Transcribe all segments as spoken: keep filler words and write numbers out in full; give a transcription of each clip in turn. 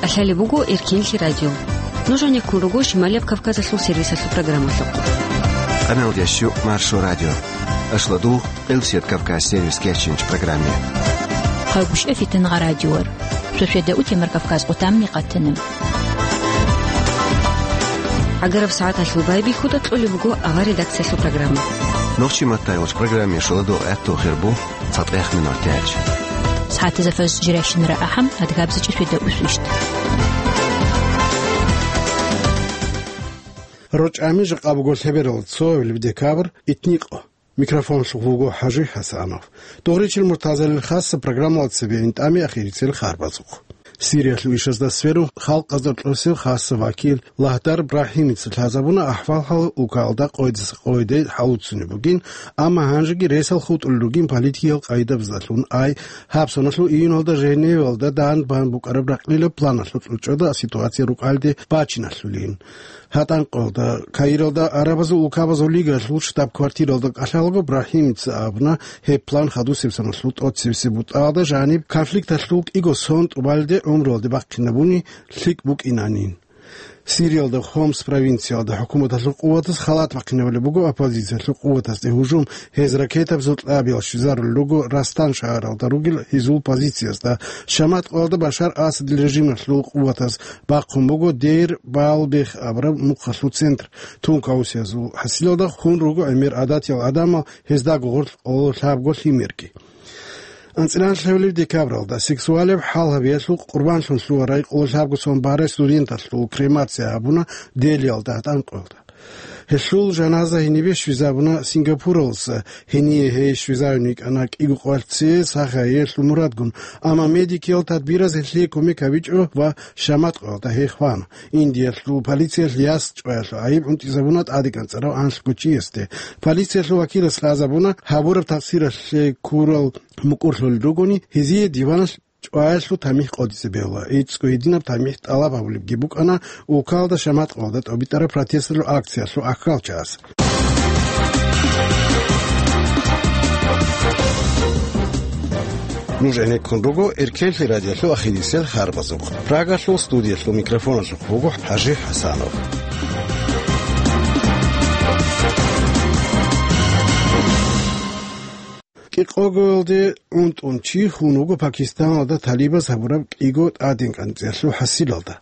Лъалеб буго Эркенлъи радио. Нуж гьанеккун руго Шималияб Кавказалъул сервисалъул программалъухъ. Къаналдящу Маршо радио. Ашладугъ, Къилсият Кавказ сервис кечинч программе. Хъагушев Фитнагъа радиор. Шошеда утемар Кавказ къутамни къатана. Агараб сагӀаталъул байбихьуда кьолеб буго авар редакциялъул программа. Нохчи маттайгъуч программе шоладугъ гӀатту хирбу. ЦатӀех минут тяч. СагӀатазафаз жиращинара ахӀам, адгабзичӀи шведа усвищт. РочӀами жакъа буго лъеберал цоабилеб декабрь, итникъо. Микрофонлъухъ вуго ХӀажи ХӀасанов. Дугъричил муртазалил хасса программала цебе интӀами ахирицел харбазухъ. Сириялъул ишазда сверун халкъазда кьурсев хасса вакил Лагьдар Брахьимица лъазабуна ахӀвал-хӀал укалда къойдаса къойде хӀалуцунеб бугин, амма гьанжеги ресал хутӀулел ругин политикиял къайдабаздалъун ай, гьаб соналъул июналда Женевалда дан бан букӀараб ракълилаб планалъул кьучӀода ситуация рукӀалде бачиналъулин. ГьатӀан къоялда, Каиралда Арабазул улкабазул лигалъул штаб-квартиралда кӀалъалаго Брахьимица абуна гьеб план хадусеб соналъул тӀоцебесеб бутӀалда жаниб конфликталъул кӀиго сон тӀубалде гӀумруялде бахъинабуни лъикӀ букӀинанин. Сириялда Хомс провинциялда хӀукуматалъул къуватаз халат бахъинабулеб буго оппозициялъул къуватазде гьужум, гьез ракетабазул кьабиял щвезарулел руго Растан шагьаралда ругел гьезул позициясда, Шамат къоялда Башар Асадил режималъул къуватаз бахъун буго Дейр Балбех абураб мухъалъул центр, тун каусиязул хӀасилалда хун руго гӀемер гӀадатиял гӀадамал, гьездаго гъорлъ къоло лъабго лъимерги. АнцӀила лъабилеб декабралда сексуалеб хӀал гьабиялъул къурбанлъун лъугьарай къоло лъабго сон барай студенталъул кремация гьабуна Делиялда гьатӀан къоялда. Гьелъул жаназа гьенибе щвезабуна Сингапуралдаса, гьение гьей щвезавин йикӀана кӀиго къоялъ цее сахаялъул мурадгун, амма медикиял тадбираз гьелъие кумек гьабичӀо ва Шамат къоялда гьей хвана. Индиялъул полициялъ яс чӀваялъул гӀайиб гӀунтӀизабуна тӀадекӀанцӀарав анлъго чиясде. Полициялъул вакилас лъазабуна, гьабураб такъсиралъе ккурал мукӀурлъулел ругони, гьезие диваналъ чӀваялъул тамихӀ къотӀизе бегьула. ГӀицӀго гьединаб тамихӀ тӀалаб гьабулебги букӀана улкалда Шамат къоялда тӀобитӀараб протесталъул акциялъул ахӀалчагӀаз. Нуж гӀенеккун руго Эркенлъи радиолъул ахирисел харбазухъ. Прагалъул студиялъул микрофоналъухъ вуго ХӀажи ХӀасанов. КӀикъогоялде унтӀун чи хун вуго Пакистаналда талибаз гьабураб кӀиго тӀадекӀанцӀиялъул хӀасилалда.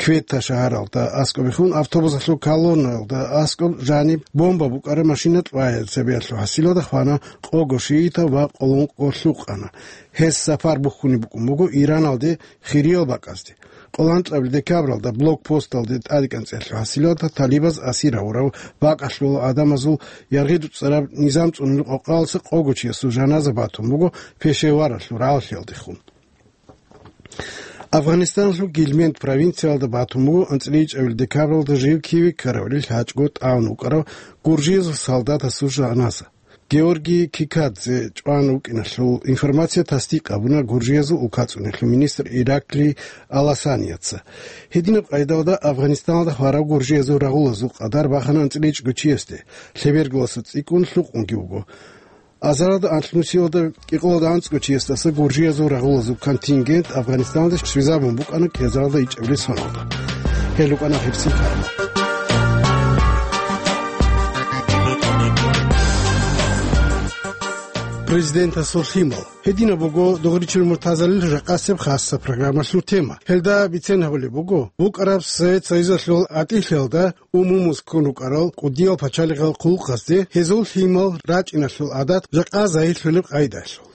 Квета шагьаралда аскӀобехун автобусалъул колоннаялда аскӀоб жаниб бомба букӀараб машина кьвая цебеялъул хӀасилалда хвана къого шиитал ва къоло ункъо лъукъана. Гьес сапар бухьунеб букӀун буго Ираналде хириял бакӀазде. Къоло анкьабилеб декабралда блокпосталде тӀадекӀанцӀиялъул хӀасилалда талибаз асир гьавурав бакӀалъул гӀадамазул яргъи дуцӀцӀараб низам цӀунулеб къокъалъа къого чиясул жаназа батун буго Пешеваралъул рагӀаллъиялдехун. Афганистаналъул Гильмент провинциялда батун буго анцӀила ичӀабилеб декабралда жив киве ккаравилел гьачӀго тӀагӀун вукӀарав гуржиязул солдатасул жаназа. Георгий Кикадзе чӀван вукӀиналъул информация тасдикъ гьабуна Гуржиязул улкацӀуниялъул министр Ираклий Аласанияца. Гьединаб къайдалда Афганистаналда хварав гуржиязул рагъулазул къадар бахана анцӀила ичӀго чиясде, лъебергаласа цӀикӀкӀун лъукъунги вуго. Азаралда анлънусиялда кӀикъоялда анцӀго чиясдаса гуржиязул рагъулазул контингент Афганистаналде щвезабун букӀана кӀиазаралда ичӀабилеб соналда. Гьел рукӀана гьебсин хабар. Президентасул лъимал. Гьединаб буго дугъричил муртазалил жакъасеб хасса программалъул тема. Гьелда бицен гьабулеб буго, букӀараб Совет Союзалъул гӀатӀилъиялда умумуз ккун рукӀарал кӀудиял пачалихъал хъулухъазде гьезул лъимал рачӀиналъул гӀадат жакъа загьирлъулеб къайдалъул.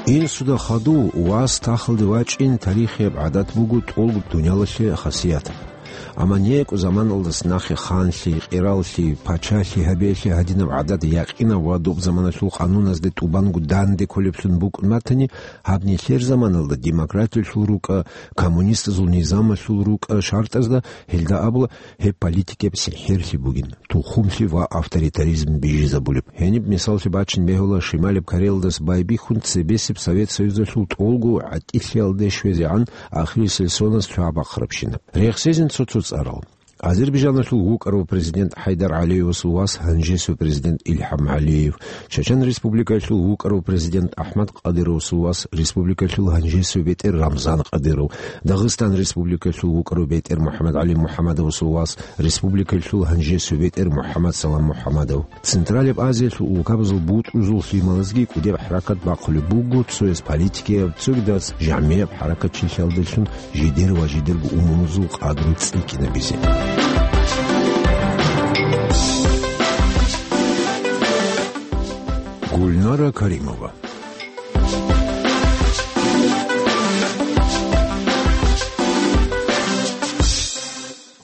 Инсуда хадув вас тахалде вачӀин тарихияб гӀадат буго тӀолго дуниялалъе хасият. Амма некӀо заманалдас нахъе ханлъи, къираллъи, пачалъи гьабиялъе гьадинаб гӀадат якъинав ва доб заманалъул къануназде тӀубанго данде кколеблъун букӀун батани, гьаб нилъер заманалда демократиялъул рукӀа, коммунистазул низамалъул рукӀа шартӀазда гьелда абула гьеб политикияб сихӀирлъи бугин, тухумлъи ва авторитаризм бижизабулеб. Гьениб мисаллъи бачин бегьула Шималаб Кореялдас байбихьун цебесеб Совет Союзалъул тӀолго гӀатӀилъиялде щвезегӀан ахирисел соназ цо бахъарабщинаб. Рехсезин цо-цо цӀарал. Азербайджаналъул вукӀарав президент ХӀайдар ГӀалиевасул вас, гьанжесев президент Илхам ГӀалиев, Чечен Республикаялъул вукӀарав президент Ахмад Кадыровасул вас, республикаялъул гьанжесев бетӀер Рамзан Кадыров, Дагъистан Республикаялъул вукӀарав бетӀер МухӀаммад ГӀали МухӀаммадовасул вас, республикаялъул гьанжесев бетӀер МухӀаммад Салам МухӀаммадов. Централияб Азиялъул улкабазул бутӀрузул лъималазги кӀудияб хӀаракат бахъулеб буго цояс политикияб, цогидаз жамгӀияб хӀаракатчилъиялдалъун жидер ва жидерго умумузул къадру цӀикӀкӀинабизе. Гульнара Каримова.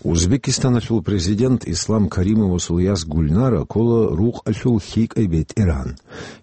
Узбекистаналъул президент Ислам Каримовасул яс Гульнара ккола рукъалъул лъикӀай бетӀергьан.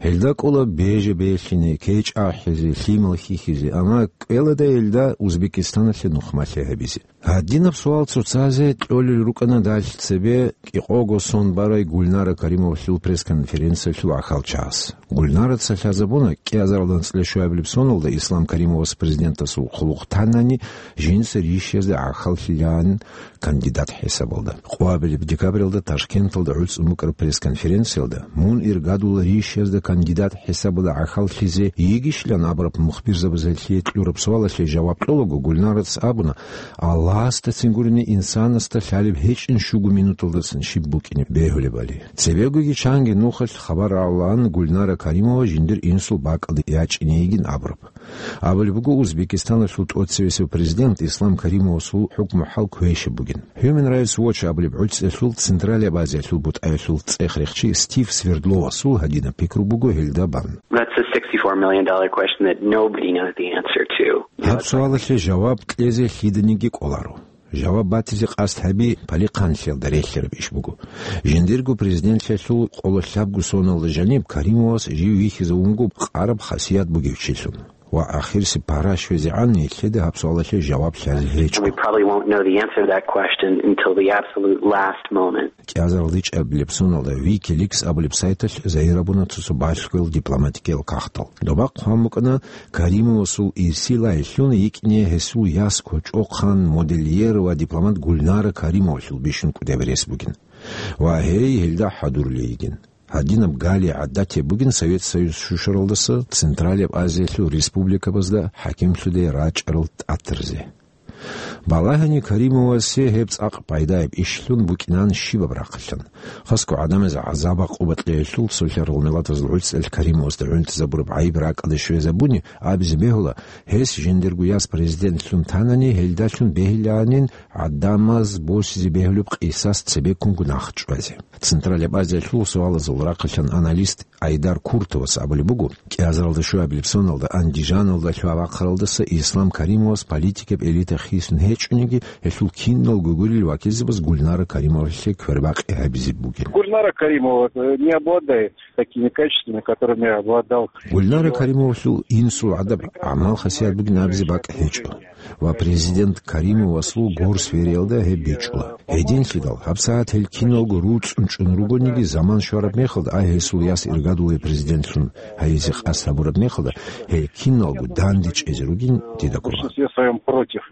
Гьелда кӀола беже-белъине, кечӀ ахӀизе, лъимал хьихьизе, амма кӀвелада гьелда Узбекистаналъе нухмалъи гьабизе. Гьадинаб суал цоцазе кьолел рукӀана далъ цебе кӀикъого сон барай Гульнара Каримовалъул пресс-конференциялъул гӀахьалчагӀаз. Гульнараца лъазабуна кӀиазаралда анцӀила щуабилеб соналда Ислам Каримовас президентасул хъулухъ танани, жинца рищиязда гӀахьаллъилаан кандидат хӀисабалда. Къоабилеб декабралда Ташкенталда гӀуцӀун букӀараб пресс-конференциялда, мун иргадула рищиязда кандидат хӀисабалда гӀахьаллъизе йигищилан абураб мухбирзабазда гьелъие кьураб суалалъе жаваб кьолаго, Гульнараца абуна, Аллагьасдацин гурони инсанасда лъалеб гьечӀин щуго минуталдасан щиб букӀине бегьулебали. Цебегоги чанги нухалъ хабар рагӀулаан Гульнара Каримова жиндир инсул бакӀалде ячӀине йигин абураб. Абулеб буго, Узбекистаналъул тӀоцевесев президент Ислам Каримовасул хӀукму-хӀал квешаб бугин. Human Rights Watch абулеб гӀуцӀиялъул Централияб Азиялъул бутӀаялъул цӀех-рехчи Стив Свердловасул гьадинаб пикру буго гьелда бан. That's a sixty-four million dollar question that nobody knows the answer to. Гьаб суалалъе жаваб кьезе лъиданиги кӀоларо. Жаваб батизе къасд гьаби палихъанлъиялда релълъараб иш буго. Жиндирго президентлъиялъул къоло лъабго соналда жаниб Каримовас жив вихьизавунго къараб хасият бугев чилъун ва ахирсеб пара щвезегӀан нилъеда гьаб суалалъе жаваб лъазе гьечӀо. We probably won't know the answer to that question until the absolute last moment. КӀиазарилда ичӀабилеб соналда Wikileaks абулеб сайталъ загьир гьабуна цо-цо балъгоял дипломатикиял кагътал. Доба хъван букӀана Каримовасул ирсилайилъун йикӀине гьесул яс кочӀохъан, модельер ва дипломат Гульнара Каримовалъул бищун кӀудияб рес бугин. Ва гьей гьелда хӀадурлъи йигин. Гьадинаб гали гӀадатияб бугин Совет Союз щущаралдаса Централияб Азиялъул республикабазда хӀакимлъуде рачӀарал тӀатарзе. Балагьани Каримовасе гьеб цӀакъ пайдаяб ишлъун букӀинан щибаб рахъалъан. Хасго гӀадамазе гӀазаб-гӀакъуба кьеялъул цолъарал миллатазул гӀуцӀиялъ Каримовасда гӀунтӀизабураб гӀайиб ракӀалде щвезабуни, абизе бегьула, гьес жиндирго яс президентлъун танани, гьелдалъун бегьилаанин гӀадамаз босизе бегьулеб къисас цебеккунго нахъ чӀвазе. Централияб Азиялъул суалазул рахъалъан аналист Айдар Куртовас абулеб буго, кӀиазаралда щуабилеб соналда Андижаналда лъугьа-вахъаралдаса Ислам Каримовас политикаб элита хисун гьечӀониги, гьелъул киналго гурел вакилзабаз Гульнара Каримовалъе квербакъи гьабизе бугин. Гульнара Каримова, э, не обладает такими качествами, которыми обладал. Гульнара Каримовалъул инсул гӀадаб гӀамал-хасият бугин абизе бакӀ гьечӀо. Ва президент Каримовасул горсвериялда гьеб бичӀчӀула. Гьединлъидал, гьабсагӀат гьел киналго руцӀцӀун чӀун ругониги, заман щвараб мехалда, а гьесул яс иргадулев президентлъун гьайизе къасд гьабураб мехалда, гьел киналго дандечӀезе ругин дида ккола. В большинстве своём против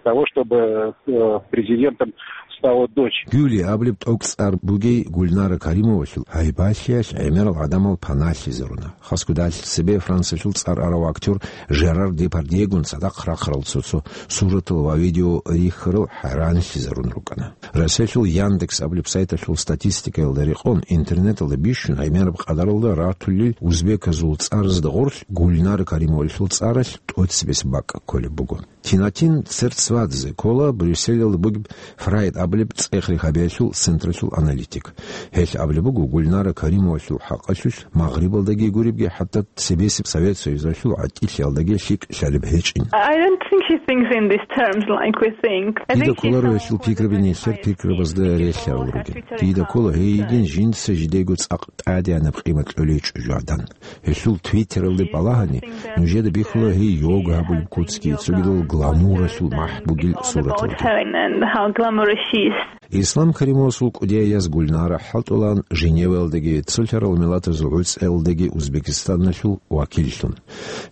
того, чтобы, э, президентом стала дочь. Гуьли абулеб тӀокӀцӀар бугей Гульнара Каримовалъул гьайбалъиялъ гӀемерал гӀадамал паналъизаруна. Хасго далъ цебе Франциялъул цӀар арав актер Жерар Депардьегун цадахъ рахъарал цо-цо суратал ва видео рихьарал хӀайранлъизарун рукӀана. Россиялъул Яндекс абулеб сайталъул статистикаялда рекъон, интернеталда бищун гӀемераб къадаралда ратулел узбеказул цӀаразда гъорлъ Гульнара Каримовалъул цӀаралъ тӀоцебесеб бакӀ кколеб буго. Тинатин церцвадзе ккола Брюсселалда бугеб Фрайд абулеб цӀех-рехабиялъул централъул аналитик. Гьелъ абулеб буго, Гульнара Каримовалъул хӀакъалъулъ Магърибалдаги гуребги, хӀатта цебесеб Совет Союзалъул гӀатӀилъиялдаги лъикӀ лъалеб гьечӀин. I don't think she thinks in these terms like we think. I think she's someone with a very... Дида кколаро гьелъул пикраби нилъер пикрабазда релълъарал ругин. Дида ккола гьей йигин жинца жидего цӀакъ тӀадегӀанаб къимат кьолей чӀужугӀадан. Гьелъул Твиттералде балагьани, нужеда бихьула гьей йога гьабулеб куцги, цогидал гламуралъул махӀ бугел сураталги. About her and, and how glamorous she is. Ислам Каримовасул кӀудияй яс Гульнара хӀалтӀулаан Женеваялдаги, цолъарал миллатазул гӀуцӀиялдаги Узбекистаналъул вакиллъун.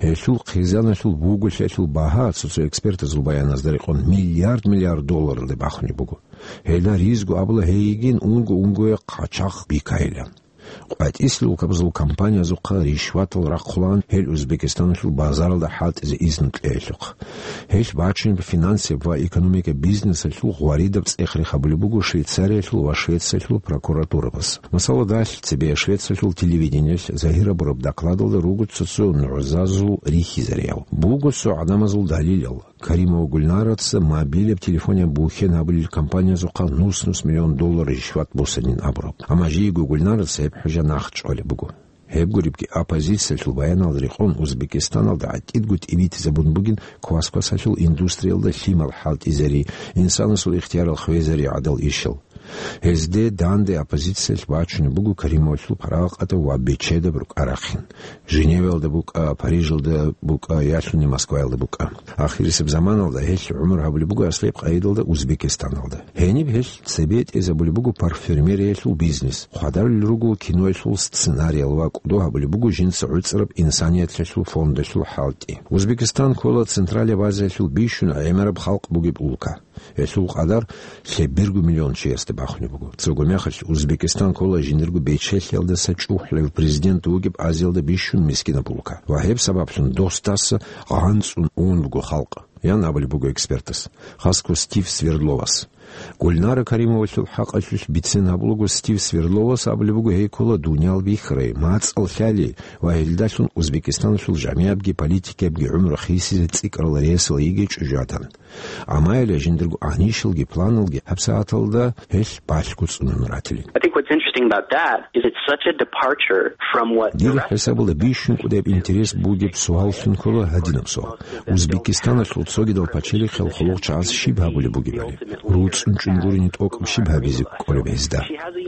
Гьелъул хъизаналъул бугулъиялъул багьа, цо-цо экспертазул баяназда рекъон, миллиард-миллиард долларалде бахунеб буго. Гьелда ризго абула гьей йигин унго-унгояхъ къачагъ бикайилан. КъватӀислъи улкабазул компаниязухъа ришватал рахъулаан гьел Узбекистаналъул базаралда хӀалтӀизе изну кьеялъухъ. Гьелъ бачунеб финансияб ва экономика бизнесалъул гъваридаб цӀех-рех гьабулеб буго Швейцариялъул ва Швециялъул прокуратурабаз. Масала, далъ цебе Швециялъул телевидениялъ загьир гьабураб докладалда руго цо-цо нугӀзазул рихьизариял. Буго цо гӀадамазул далилал. Каримова Гульнараца мобилаб телефонияб бухьен гьабулел компаниязухъа нус-нус миллион доллар ришват босанин абураб. Амма жийго Гульнараца гьеб хӀужа нахъ чӀвалеб буго. Гьеб гуребги, оппозициялъул баяналда рекъон, Узбекистаналда гӀатӀидго тӀибитӀизабун бугин квас-квасалъул индустриялда лъимал хӀалтӀизари, инсанасул ихтиярал хвезари гӀадал ишал. Гьезде данде оппозициялъ бачунеб буго Каримовалъул парагъатаб ва бечедаб рукӀа-рахъин. Женеваялда букӀа, Парижалда букӀа, ялъуни Москваялда букӀа. Ахирисеб заманалда гьелъ гӀумру гьабулеб буго аслияб къайдалда Узбекистаналда. Гьениб гьелъ цебетӀезабулеб буго парфюмериялъул бизнес. Хъвадарулел руго киноялъул сценариял ва кӀодо гьабулеб буго жинца гӀуцӀараб инсанияталъул фондалъул хӀалтӀи. Узбекистан ккола Централияб Азиялъул бищун гӀемераб халкъ бугеб улка. Гьелъул къадар лъеберго миллион чиясда бахунеб буго. Цого мехалъ Узбекистан ккола жиндирго бечелъиялдаса чӀухӀлъарав президент вугеб Азиялда бищун мискинаб улка. Ва гьеб сабаблъун дос-даса гъанцӀун ун буго халкъ, ян абулеб буго экспертас, хасго Стив Свердловас. Гульнара Каримовалъул хӀакъалъулъ бицен гьабулаго, Стив Свердловас абулеб буго, гьей ккола дуниял бихьарай, мацӀал лъали ва гьелдалъун Узбекистаналъул жамигӀабги политикаябги гӀумру хисизе цӀикӀкӀарал ресал йигей чӀужугӀадан. Амма гьеле жиндирго гӀанишалги планалги гьабсагӀаталда гьелъ балъго цӀунун ратилин. I think what's interesting about that is it's such a departure from what the Дир rest of хӀисабалда бищун кӀудияб интерес бугеб суаллъун ккола гьадинаб суал. Узбекистаналъул цогидал пачалихъал хъулухъчагӀаз щиб гьабулеб бугебали? РуцӀцӀун чӀун гурони тӀокӀаб щиб гьабизе кӀолеб гьезда?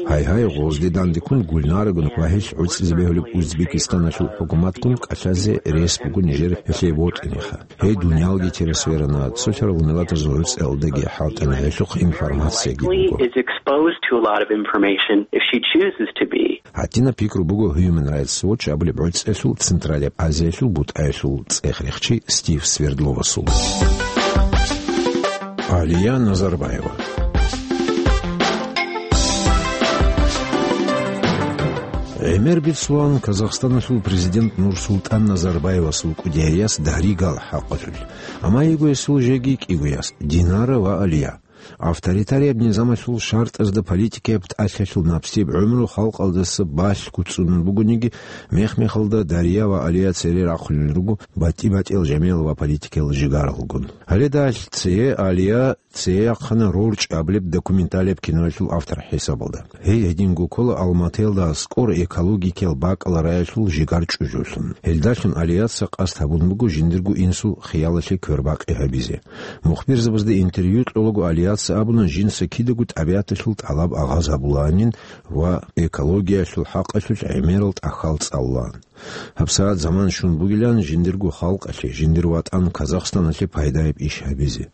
Гьайгьай, гъозде дандеккун Гульнарагун ва гьелъ гӀуцӀизе бегьулеб Узбекистаналъул хӀукуматгун кӀалъазе рес буго нижер гьелъие вотӀинеха. Гьей дуниялги терес верана, цолъарал миллатазул гӀуцӀиялдаги хӀалтӀана, гьелъухъ информациягиги буго. Is exposed to a lot of information if she chooses to be. ГьатӀинаб пикру буго Human Rights Watch абулеб гӀуцӀиялъул Централияб Азиялъул бутӀаялъул цӀех-рехчи Стив Свердловасул. Алия Назарбаева. ГӀемер бицулан Казахстаналъул президент Нурсултан Назарбаевасул кӀудияй яс Даригал хӀакъалъулъ. Амма йиго гьесул жеги кӀиго яс, Динара ва Алия. Авторитарияб низамалъул шартӀазда политикаяб тӀалъалъул напсияб гӀумру халкъалдаса балъго цӀунун бугониги, мех-мехалда Дария ва Алия цере рахъунел руго батӀи-батӀиял жамигӀал ва политикиял жигаралгун. Гьале далъ цее Алия цее яхъана «РорчӀи» абулеб документалияб киноялъул автор хӀисабалда. Гьей гьединго ккола Алматаялда аскӀор экологикиял бакӀалда раялъул жигар чӀужулъун. Гьелдалъун Алияца къасд гьабун буго жиндирго инсул хиялалъе квербакъи гьабизе. Мухбирзабазда интервью кьолаго Алияца абуна, жинца кидаго тӀабигӀаталъул тӀалаб агъаз гьабулаанин ва экологиялъул хӀакъалъулъ гӀемерал тӀахьал цӀалулаан. ГьабсагӀат заман щун бугилан жиндирго халкъалъе, жиндир ватӀан Казахстаналъе пайдаяб иш гьабизе.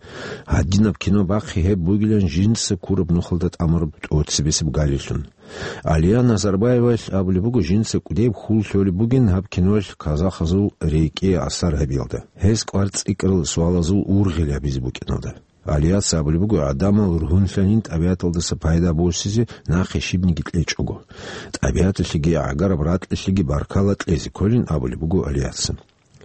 Гьадинаб кино бахъи гьеб бугилан жинца ккураб нухалда тӀамураб тӀоцебесеб галилъун. Алия Назарбаевалъ абулеб буго, жинца кӀудеб хьул лъолеб бугин гьаб киноялъ казахазул рекӀее асар гьабиялда, гьез кӀвар цӀикӀкӀарал суалазул ургъел гьабизе букӀиналда. Алияца абулеб буго, гӀадамал ругьунлъанин тӀабигӀаталдаса пайда босизе нахъе щибниги кьечӀого. ТӀабигӀаталъеги гӀагараб ракьалъеги баркала кьезе кколин абулеб буго Алияца.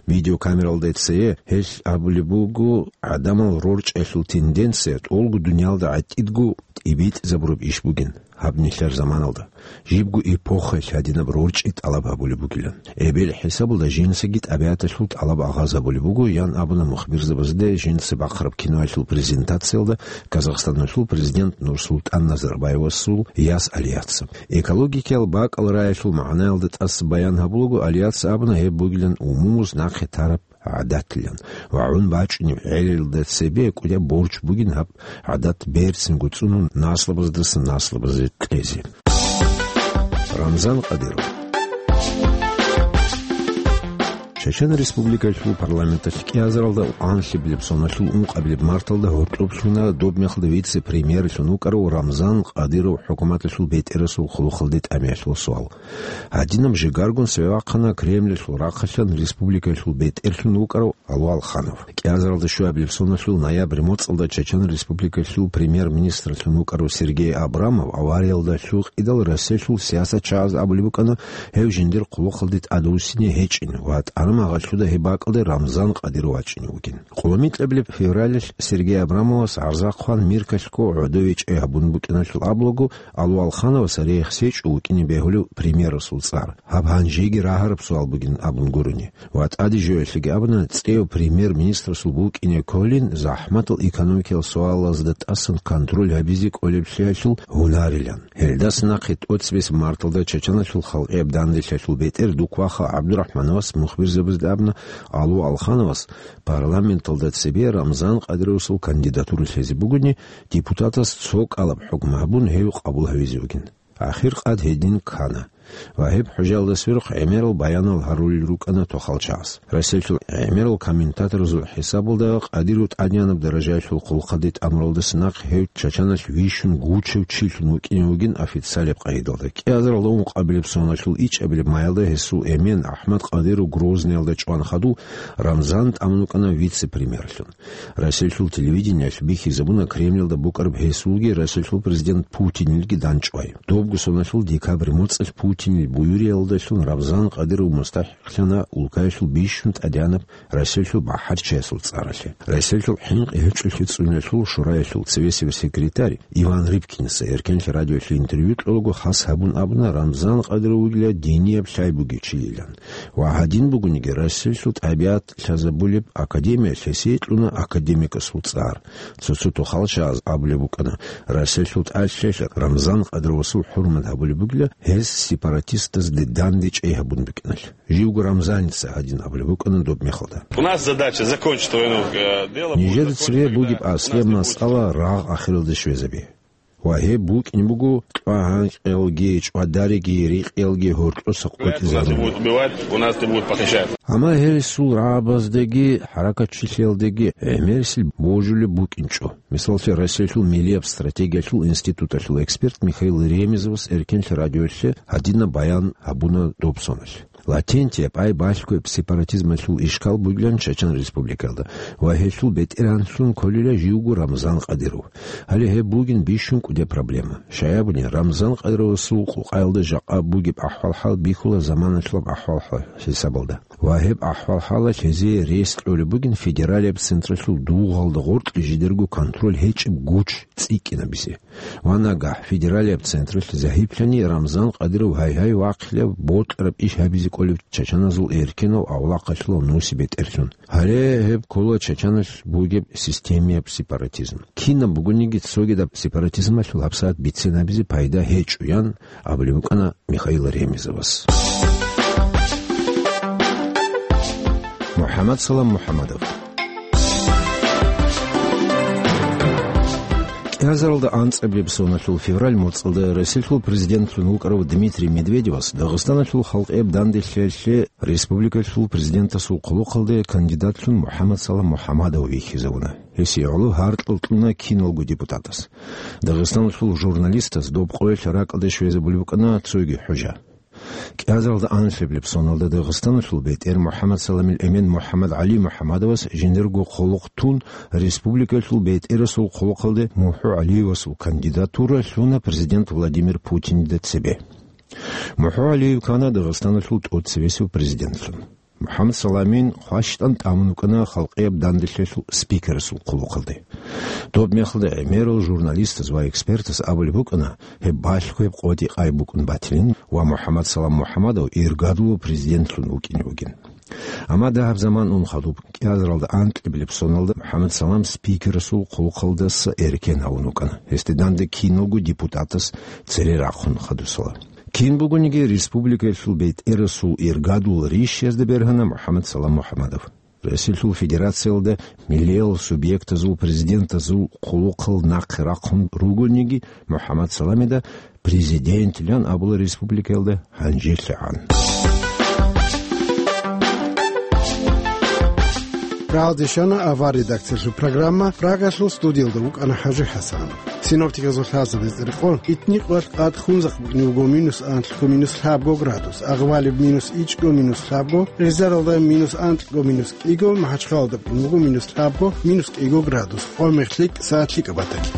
Видеокамералда цее гьелъ абулеб буго, гӀадамал рорчӀиялъул тенденция тӀолго дуниялда гӀатӀидго тӀибитӀизабураб иш бугин гьаб нилъер заманалда. Жибго эпохаялъ гьадинаб рорчӀи тӀалаб гьабулеб бугилан. Эбел хӀисабалда жинцаги тӀабигӀаталъул тӀалаб агъаз гьабулеб буго, ян абуна мухбирзабазда жинца бахъараб киноялъул презентациялда Казахстаналъул президент Нурсултан Назарбаевасул яс Алияца. Экологикиял бакӀал раялъул магӀнаялда тӀаса баян гьабулаго, Алияца абуна, гьеб бугилан умумуз нахъе тараб гӀадатлъан ва гӀун бачӀунеб гӀелалда цебе кӀудияб борч бугин гьаб гӀадат берцинго цӀунун наслабаздаса наслабазе кьезе. Рамзан Къадиров. Чечен Республикалъул парламенталъ кӀиазаралда анлъабилеб соналъул ункъабилеб марталда гьоркьоб лъуна доб мехалда вице-премьерлъун вукӀарав Рамзан Кадыров хӀукуматалъул бетӀерасул хъулухъалде тӀамиялъул суал. Гьадинаб жигаргун цеве вахъана Кремльалъул рахъалъан республикалъул бетӀерлъун вукӀарав Алу Алханов. КӀиазаралда щуабилеб соналъул ноябрь моцӀалда Чечен Республикалъул премьер-министрлъун вукӀарав Сергей Абрамов авариялда лъукъидал Россиялъул сиясатчагӀаз абулеб букӀана, гьев жиндир хъулухъалде тӀадвуссине гьечӀин ва тӀадамагъалъуда гьеб бакӀалде Рамзан Кадыров вачӀине вугин. Къоло микьабилеб февралалъ Сергей Абрамовас гӀарзахъван Миркалъго гӀодове чӀей гьабун букӀиналъул абулаго, Алу Алхановас рехсечӀо вукӀине бегьулев премьерасул цӀар. Гьаб гьанжеги рагьараб суал бугин абун гурони. Ва тӀаде жоялъеги абуна, цӀеяв премьер-министрасул букӀине кколин, захӀматал экономикиял суалазда тӀасан контроль гьабизе кӀолеблъиялъул гьунарилан. Гьелдаса нахъе тӀоцебесеб марталда Чеченалъул халкъияб данделъиялъул бетӀер Дукваха ГӀабдурахӀмановас мухбирзабазда абуна, Алу Алхановас парламенталда цебе Рамзан Кадыровасул кандидатура лъезе бугони, депутатас цо кӀалаб хӀукму гьабун, гьев къабул гьавизе вугин. Ахир къад гьедин ккана. Ва гьеб хӀужаялда сверухъ гӀемерал баянал гьарулел рукӀана тохалчагӀаз. Россиялъул гӀемерал комментаторазул хӀисабалда Кадыров тӀадегӀанаб даражаялъул хъулухъалде тӀамуралдаса нахъ гьев Чеченалъ вищун гучав чилъун вукӀине вугин официалияб къагӀидалда. КӀиазаралда ункъабилеб соналъул ичӀабилеб маялда гьесул эмен АхӀмад Кадыров Грозныйялда чӀван хадув, Рамзан тӀамун вукӀана вице-премьерлъун. Россиялъул телевидениялъ бихьизабуна Кремльалда букӀараб гьесулги Россиялъул президент Путинилги данчӀвай. Добго соналъул декабрь моцӀалъ Путинил буюриялдалъун Рамзан Кадыров мустахӀикълъана улкаялъул бищун тӀадегӀанаб Россиялъул бахӀарчиясул цӀаралъе. Россиялъул хӀинкъи гьечӀолъи цӀуниялъул шураялъул цевесев секретарь Иван Рыбкинаса Эркенлъи радиоялъе интервью кьолаго хас гьабун абуна, Рамзан Кадыров вугила динияб лъай бугев чилилан. Ва гьадин бугониги, Россиялъул тӀабигӀат лъазабулеб академиялъ гьесие кьуна академикасул цӀар. Цо-цо тохалчагӀаз абулеб букӀана, Россиялъул тӀалъиялъ Рамзан Кадыровасул хӀурмат гьабулеб бугила, гьес сепаратистазде данде чӀей гьабун букӀиналъ. Живго Рамзаница гьадин абулеб букӀана доб мехалда. У нас задача закончить войну, э, дело будет закончено, когда... Нижеда цеве бугеб аслияб масъала рагъ ахиралде щвезаби. Ва гьеб букӀин буго кьвагьанкьиялги, чӀвадариги, рикъиялги гьоркьоса къотӀизарун. У нас не будут убивать, у нас не будут похищать. Амма гьересул рагӀабаздаги хӀаракатчилъиялдаги гӀемерисел божулеб букӀинчӀо. Мисаллъи, Россиялъул миллияб стратегиялъул институталъул эксперт Михаил Ремезовас Эркенлъи радиоялъе гьадинаб баян гьабуна доб соналъ. Латентияб, ай балъгояб сепаратизмалъул ишкал бугилан Чечен Республикалда ва гьелъул бетӀергьанлъун кколила живго Рамзан Кадыров. Гьале гьеб бугин бищун кӀудияб проблема. Щай абуни, Рамзан Кадыровасул къукъаялда жакъа бугеб ахӀвал-хӀал бихьула заманалъулаб ахӀвал-хӀал хӀисабалда. Ва гьеб ахӀвал-хӀалалъ гьезие рес кьолеб бугин федералияб централъул дугъалда гъоркье жидерго контроль гьечӀеб гуч цӀикӀкӀинабизе. Ва нагагь федералияб централъ загьиплъани, Рамзан Кадыров гьай-гьай вахъилеб бокьараб иш гьабизе кӀолев чачаназул эркенав авлахъалъулав нусибетӀерлъун. Гьале гьеб ккола Чачаналъ бугеб системияб сепаратизм. Кинаб бугониги цогидаб сепаратизмалъул гьабсагӀат бицен гьабизе пайда гьечӀо, ян абулеб букӀана Михаил Ремезовас. МухӀаммад Салам МухӀаммадов. КӀиазаралда анцӀабилеб соналъул февраль моцӀалда Россиялъул президентлъун вукӀарав Дмитрий Медведевас Дагъистаналъул халкъияб данделъиялъе республикалъул президентасул хъулухъалде кандидатлъун МухӀаммад Салам МухӀаммадов вихьизавуна. Гьесие гӀоло гьаркьал кьуна киналго депутатас. Дагъистаналъул журналистаз доб къоялъ ракӀалде щвезабулеб букӀана цоги хӀужа. КӀиазаралда анлъабилеб соналда Дагъистаналъул бетӀер МухӀаммад Саламил эмен МухӀаммад ГӀали МухӀаммадовас жиндирго хъулухъ тун, республикалъул бетӀерасул хъулухъалде МухӀу ГӀалиевасул кандидатура лъуна президент Владимир Путинида цебе. МухӀу ГӀалиев ккана Дагъистаналъул тӀоцебесев президентлъун. МухӀаммад Саламин хващтӀан тӀамун вукӀана халкъияб данделъиялъул спикерасул хъулухъалде. Доб мехалда гӀемерал журналистаз ва экспертаз абулеб букӀана, гьеб балъго гьеб къотӀи-къай букӀун батилин ва МухӀаммад Салам МухӀаммадов иргадулав президентлъун вукӀине вугин. Амма дагьаб заман ун хадуб, кӀиазаралда анкьабилеб соналда МухӀаммад Салам спикерасул хъулухъалдаса эркен гьавун вукӀана, гьесде данде киналго депутатас цере рахъун хадусала. Кин бугониги республикаялъул бетӀерасул иргадул рищазда бергьана МухӀаммад Салам МухӀаммадов. Россиялъул Федерациялда миллиял субъектазул президентазул хъулухъал нахъе рахъун ругониги, МухӀаммад Саламида президентлъан абула республикаялда гьанжелъагӀан. Рагьалде щвана авар редакциялъул программа, Прагалъул студиялда вукӀана ХӀажи ХӀасан. Синоптиказул лъазабиз рекъон, итни къвалъ къад Хунзахъ букӀине буго минус анлъго, минус лъабго градус, Агъвалиб минус ичӀго, минус лъабго, Гъизаралда минус анлъго, минус кӀиго, МахӀачхъалада букӀине буго минус лъабго, минус кӀиго градус, къо-мех лъикӀ, сагӀат лъикӀаб батаги.